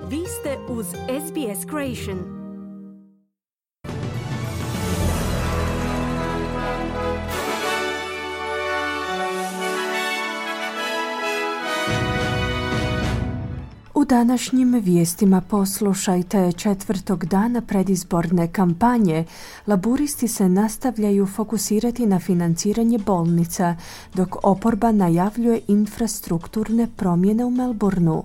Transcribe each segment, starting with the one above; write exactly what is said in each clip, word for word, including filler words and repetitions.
Vi ste uz S B S Creation. U današnjim vijestima poslušajte: četvrtog dana predizborne kampanje laburisti se nastavljaju fokusirati na financiranje bolnica, dok oporba najavljuje infrastrukturne promjene u Melbourneu.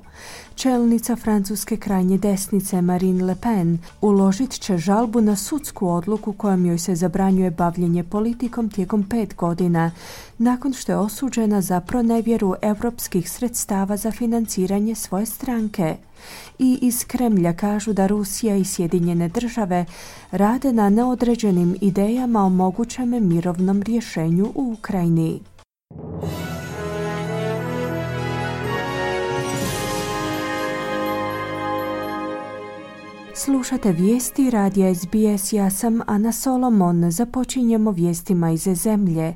Čelnica francuske krajnje desnice Marine Le Pen uložit će žalbu na sudsku odluku kojom joj se zabranjuje bavljenje politikom tijekom pet godina, nakon što je osuđena za pronevjeru europskih sredstava za financiranje svoje stranke. I iz Kremlja kažu da Rusija i Sjedinjene države rade na neodređenim idejama o mogućem mirovnom rješenju u Ukrajini. Slušate vijesti radija S B S, ja sam Ana Solomon. Započinjemo vijestima iz zemlje.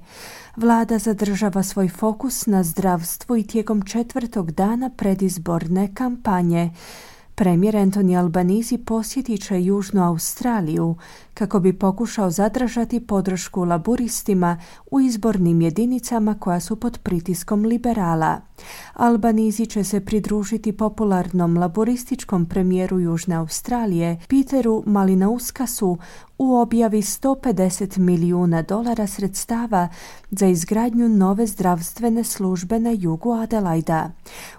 Vlada zadržava svoj fokus na zdravstvu i tijekom četvrtog dana predizborne kampanje. Premijer Anthony Albanese posjetit će Južnu Australiju kako bi pokušao zadržati podršku laburistima u izbornim jedinicama koja su pod pritiskom liberala. Albanese će se pridružiti popularnom laburističkom premijeru Južne Australije Peteru Malinauskasu u objavi sto pedeset milijuna dolara sredstava za izgradnju nove zdravstvene službe na jugu Adelaida.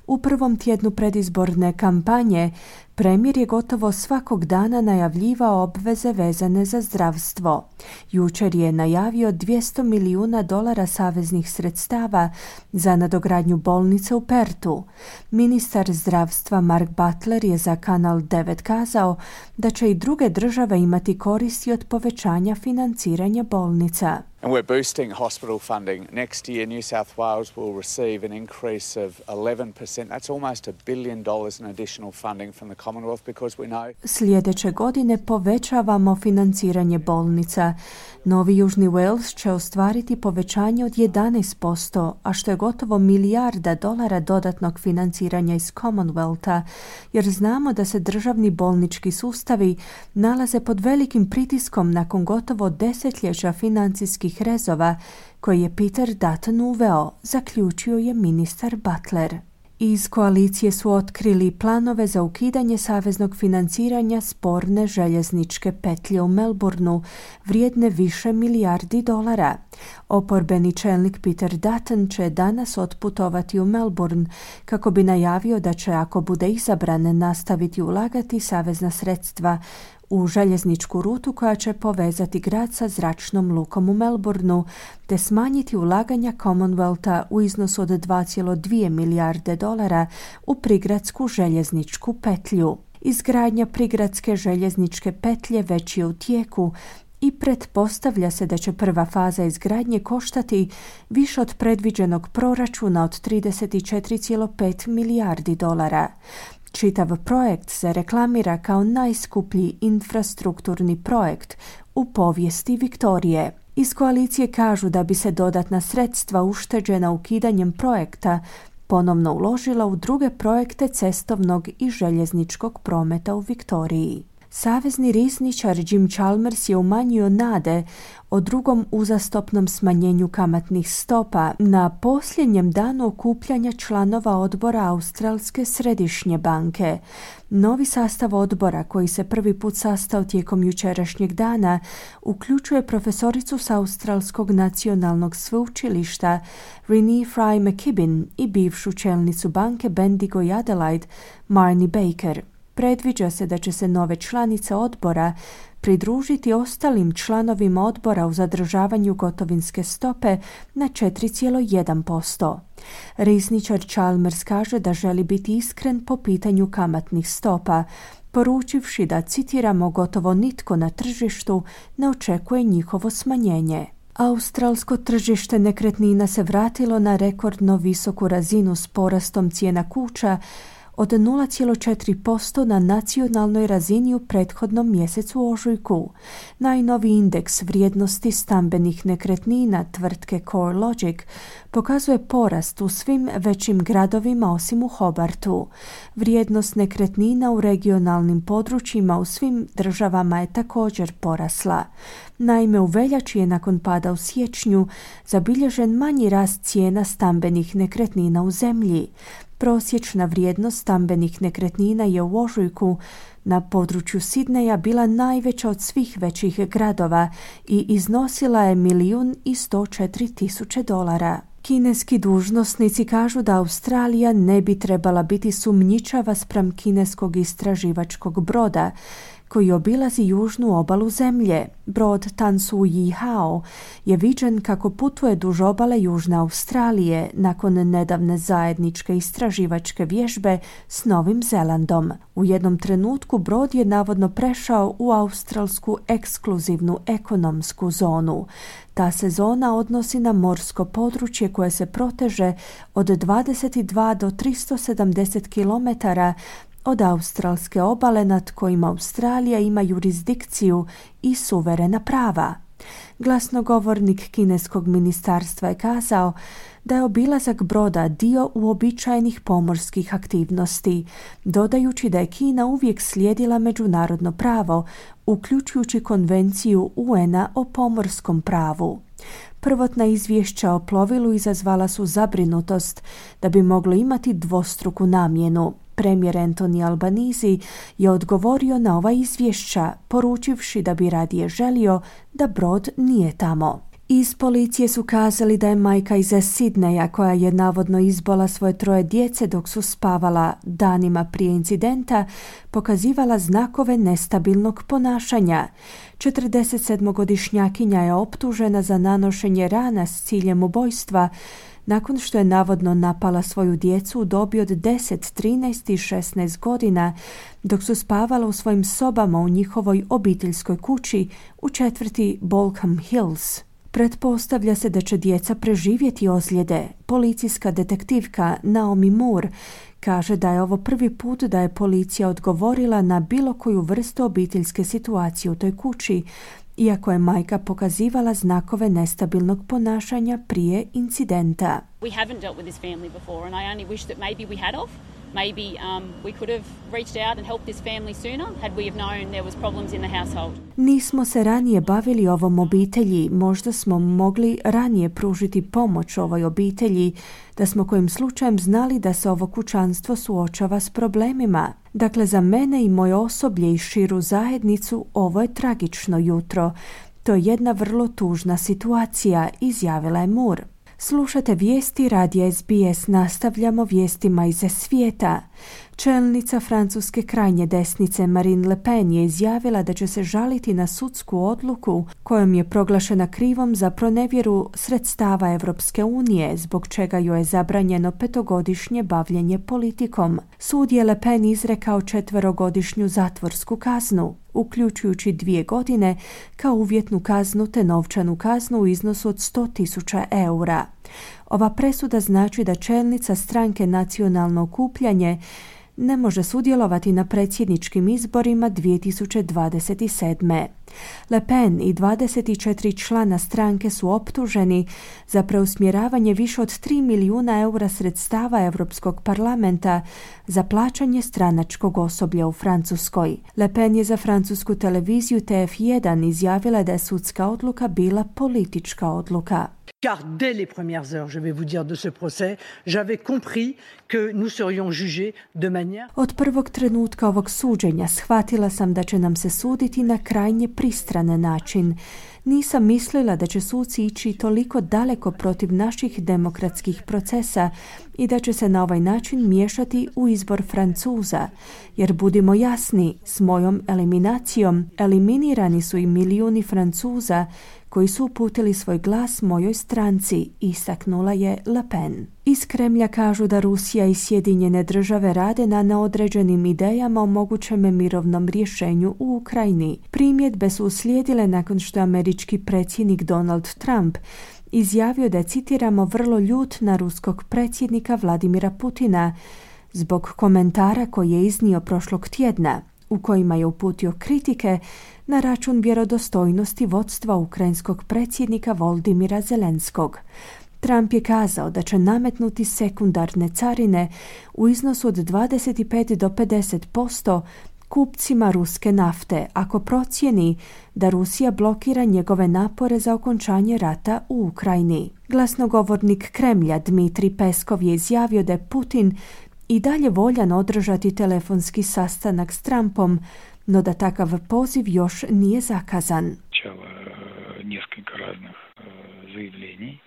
U prvom tjednu predizborne kampanje premijer je gotovo svakog dana najavljivao obveze vezane za zdravstvo. Jučer je najavio dvjesto milijuna dolara saveznih sredstava za nadogradnju bolnice u Pertu. Ministar zdravstva Mark Butler je za Kanal devet kazao da će i druge države imati koristi od povećanja financiranja bolnica. And we're boosting hospital funding. Next year, New South Wales will receive an increase of eleven percent. That's almost a billion dollars in additional funding from the Commonwealth because we know... Sljedeće godine povećavamo financiranje bolnica. Novi Južni Wales će ostvariti povećanje od jedanaest posto, a što je gotovo milijarda dolara dodatnog financiranja iz Commonwealtha, jer znamo da se državni bolnički sustavi nalaze pod velikim pritiskom nakon gotovo desetljeća financijskih rezova koji je Peter Dutton uveo, zaključio je ministar Butler. Iz koalicije su otkrili planove za ukidanje saveznog financiranja sporne željezničke petlje u Melbourneu, vrijedne više milijardi dolara. Oporbeni čelnik Peter Dutton će danas otputovati u Melbourne kako bi najavio da će, ako bude izabran, nastaviti ulagati savezna sredstva u željezničku rutu koja će povezati grad sa zračnom lukom u Melbourneu, te smanjiti ulaganja Commonwealtha u iznosu od dva zarez dvije milijarde dolara u prigradsku željezničku petlju. Izgradnja prigradske željezničke petlje već je u tijeku i pretpostavlja se da će prva faza izgradnje koštati više od predviđenog proračuna od trideset četiri zarez pet milijardi dolara. Čitav projekt se reklamira kao najskuplji infrastrukturni projekt u povijesti Viktorije. Iz koalicije kažu da bi se dodatna sredstva ušteđena ukidanjem projekta ponovno uložila u druge projekte cestovnog i željezničkog prometa u Viktoriji. Savezni rizničar Jim Chalmers je umanjio nade o drugom uzastopnom smanjenju kamatnih stopa na posljednjem danu okupljanja članova odbora Australske središnje banke. Novi sastav odbora, koji se prvi put sastao tijekom jučerašnjeg dana, uključuje profesoricu s Australskog nacionalnog sveučilišta Renee Fry McKibben i bivšu čelnicu banke Bendigo i Adelaide Marnie Baker. Predviđa se da će se nove članice odbora pridružiti ostalim članovima odbora u zadržavanju gotovinske stope na četiri zarez jedan posto. Rizničar Chalmers kaže da želi biti iskren po pitanju kamatnih stopa, poručivši da, citiramo, gotovo nitko na tržištu ne očekuje njihovo smanjenje. Australsko tržište nekretnina se vratilo na rekordno visoku razinu s porastom cijena kuća od nula zarez četiri posto na nacionalnoj razini u prethodnom mjesecu ožujku. Najnoviji indeks vrijednosti stambenih nekretnina tvrtke CoreLogic pokazuje porast u svim većim gradovima osim u Hobartu. Vrijednost nekretnina u regionalnim područjima u svim državama je također porasla. Naime, u veljači je nakon pada u siječnju zabilježen manji rast cijena stambenih nekretnina u zemlji. Prosječna vrijednost stambenih nekretnina je u ožujku na području Sidneja bila najveća od svih većih gradova i iznosila je milijun i sto četiri tisuće dolara. Kineski dužnosnici kažu da Australija ne bi trebala biti sumnjičava spram kineskog istraživačkog broda koji obilazi južnu obalu zemlje. Brod Tan Su Yi Hao je viđen kako putuje duž obale Južne Australije nakon nedavne zajedničke istraživačke vježbe s Novim Zelandom. U jednom trenutku brod je navodno prešao u australsku ekskluzivnu ekonomsku zonu. Ta se zona odnosi na morsko područje koje se proteže od dvadeset dva do tristo sedamdeset kilometara od australske obale nad kojima Australija ima jurisdikciju i suverena prava. Glasnogovornik kineskog ministarstva je kazao da je obilazak broda dio uobičajenih pomorskih aktivnosti, dodajući da je Kina uvijek slijedila međunarodno pravo, uključujući konvenciju U N-a o pomorskom pravu. Prvotna izvješća o plovilu izazvala su zabrinutost da bi moglo imati dvostruku namjenu. Premijer Anthony Albanese je odgovorio na ova izvješća, poručivši da bi radije želio da brod nije tamo. Iz policije su kazali da je majka iz Sidneja, koja je navodno izbola svoje troje djece dok su spavala danima prije incidenta, pokazivala znakove nestabilnog ponašanja. četrdesetsedmogodišnjakinja je optužena za nanošenje rana s ciljem ubojstva, nakon što je navodno napala svoju djecu u dobi od deset, trinaest i šesnaest godina, dok su spavala u svojim sobama u njihovoj obiteljskoj kući u četvrti Balcombe Hills. Pretpostavlja se da će djeca preživjeti ozljede. Policijska detektivka Naomi Moore kaže da je ovo prvi put da je policija odgovorila na bilo koju vrstu obiteljske situacije u toj kući, iako je majka pokazivala znakove nestabilnog ponašanja prije incidenta. We haven't dealt with this family before and I only wish that maybe we had of. Maybe um, we could have reached out and helped this family sooner had we have known there was problems in the household. Nismo se ranije bavili ovom obitelji, možda smo mogli ranije pružiti pomoć ovoj obitelji, da smo kojim slučajem znali da se ovo kućanstvo suočava s problemima. Dakle, za mene i moje osoblje i širu zajednicu ovo je tragično jutro. To je jedna vrlo tužna situacija, izjavila je Moore. Slušate vijesti radija S B S, nastavljamo vijestima iz svijeta. Čelnica francuske krajnje desnice Marine Le Pen je izjavila da će se žaliti na sudsku odluku kojom je proglašena krivom za pronevjeru sredstava Europske unije, zbog čega joj je zabranjeno petogodišnje bavljenje politikom. Sud je Le Pen izrekao četverogodišnju zatvorsku kaznu, uključujući dvije godine kao uvjetnu kaznu te novčanu kaznu u iznosu od sto tisuća eura. Ova presuda znači da čelnica stranke Nacionalno okupljanje ne može sudjelovati na predsjedničkim izborima dvije tisuće dvadeset sedme. Le Pen i dvadeset četiri člana stranke su optuženi za preusmjeravanje više od tri milijuna eura sredstava Europskog parlamenta za plaćanje stranačkog osoblja u Francuskoj. Le Pen je za francusku televiziju T F jedan izjavila da je sudska odluka bila politička odluka. Car dès les premières heures, je vais vous dire, de ce procès, j'avais compris que nous serions jugés de manière... Od prvog trenutka ovog suđenja shvatila sam da će nam se suditi na krajnje pristran način. Nisam mislila da će suci ići toliko daleko protiv naših demokratskih procesa i da će se na ovaj način miješati u izbor Francuza. Jer budimo jasni, s mojom eliminacijom eliminirani su i milijuni Francuza koji su uputili svoj glas mojoj stranci, istaknula je Le Pen. Iz Kremlja kažu da Rusija i Sjedinjene države rade na neodređenim idejama o mogućem mirovnom rješenju u Ukrajini. Primjedbe su uslijedile nakon što je američki predsjednik Donald Trump izjavio da je, citiramo, vrlo ljut na ruskog predsjednika Vladimira Putina zbog komentara koje je iznio prošlog tjedna, u kojima je uputio kritike na račun vjerodostojnosti vodstva ukrajinskog predsjednika Volodymyra Zelenskog. Trump je kazao da će nametnuti sekundarne carine u iznosu od dvadeset pet do pedeset posto kupcima ruske nafte ako procijeni da Rusija blokira njegove napore za okončanje rata u Ukrajini. Glasnogovornik Kremlja Dmitrij Peskov je izjavio da je Putin i dalje voljan održati telefonski sastanak s Trumpom, no da takav poziv još nije zakazan. Čelo nekoliko raznih zaявлений.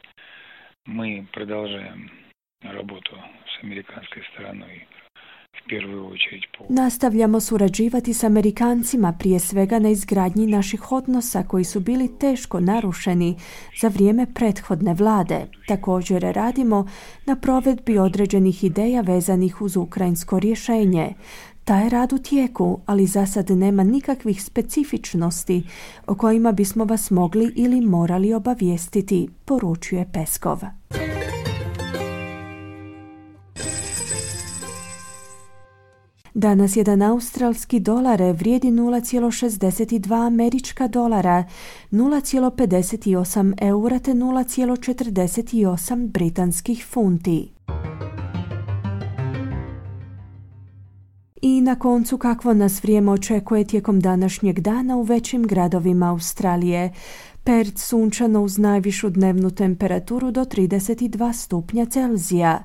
Mi продолжаем работу с американской стороной. Nastavljamo surađivati s Amerikancima, prije svega na izgradnji naših odnosa koji su bili teško narušeni za vrijeme prethodne vlade. Također radimo na provedbi određenih ideja vezanih uz ukrajinsko rješenje. Taj rad u tijeku, ali za sad nema nikakvih specifičnosti o kojima bismo vas mogli ili morali obavijestiti, poručuje Peskov. Danas jedan australski dolar vrijedi nula zarez šezdeset dva američka dolara, nula zarez pedeset osam eura te nula zarez četrdeset osam britanskih funti. I na koncu kakvo nas vrijeme očekuje tijekom današnjeg dana u većim gradovima Australije. Perth sunčano uz najvišu dnevnu temperaturu do trideset dva stupnja Celzija.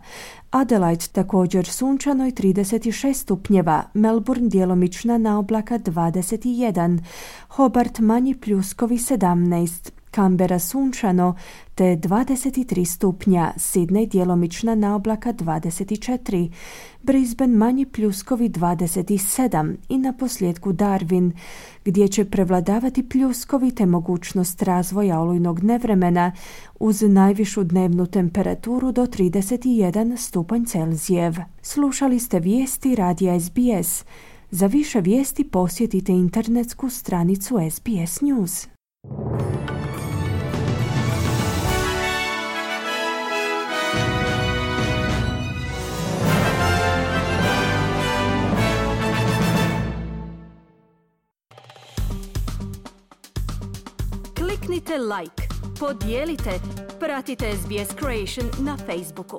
Adelaide također sunčano i trideset šest stupnjeva, Melbourne djelomična naoblaka dvadeset jedan, Hobart manji pljuskovi sedamnaest, Canberra sunčano te dvadeset tri stupnja, Sydney djelomična naoblaka dvadeset četiri, Brisbane manji pljuskovi dvadeset sedam i na posljedku Darwin, gdje će prevladavati pljuskovi te mogućnost razvoja olujnog nevremena uz najvišu dnevnu temperaturu do trideset jedan stupanj Celzijev. Slušali ste vijesti radija S B S. Za više vijesti posjetite internetsku stranicu S B S News. Kliknite like, podijelite, pratite S B S Creation na Facebooku.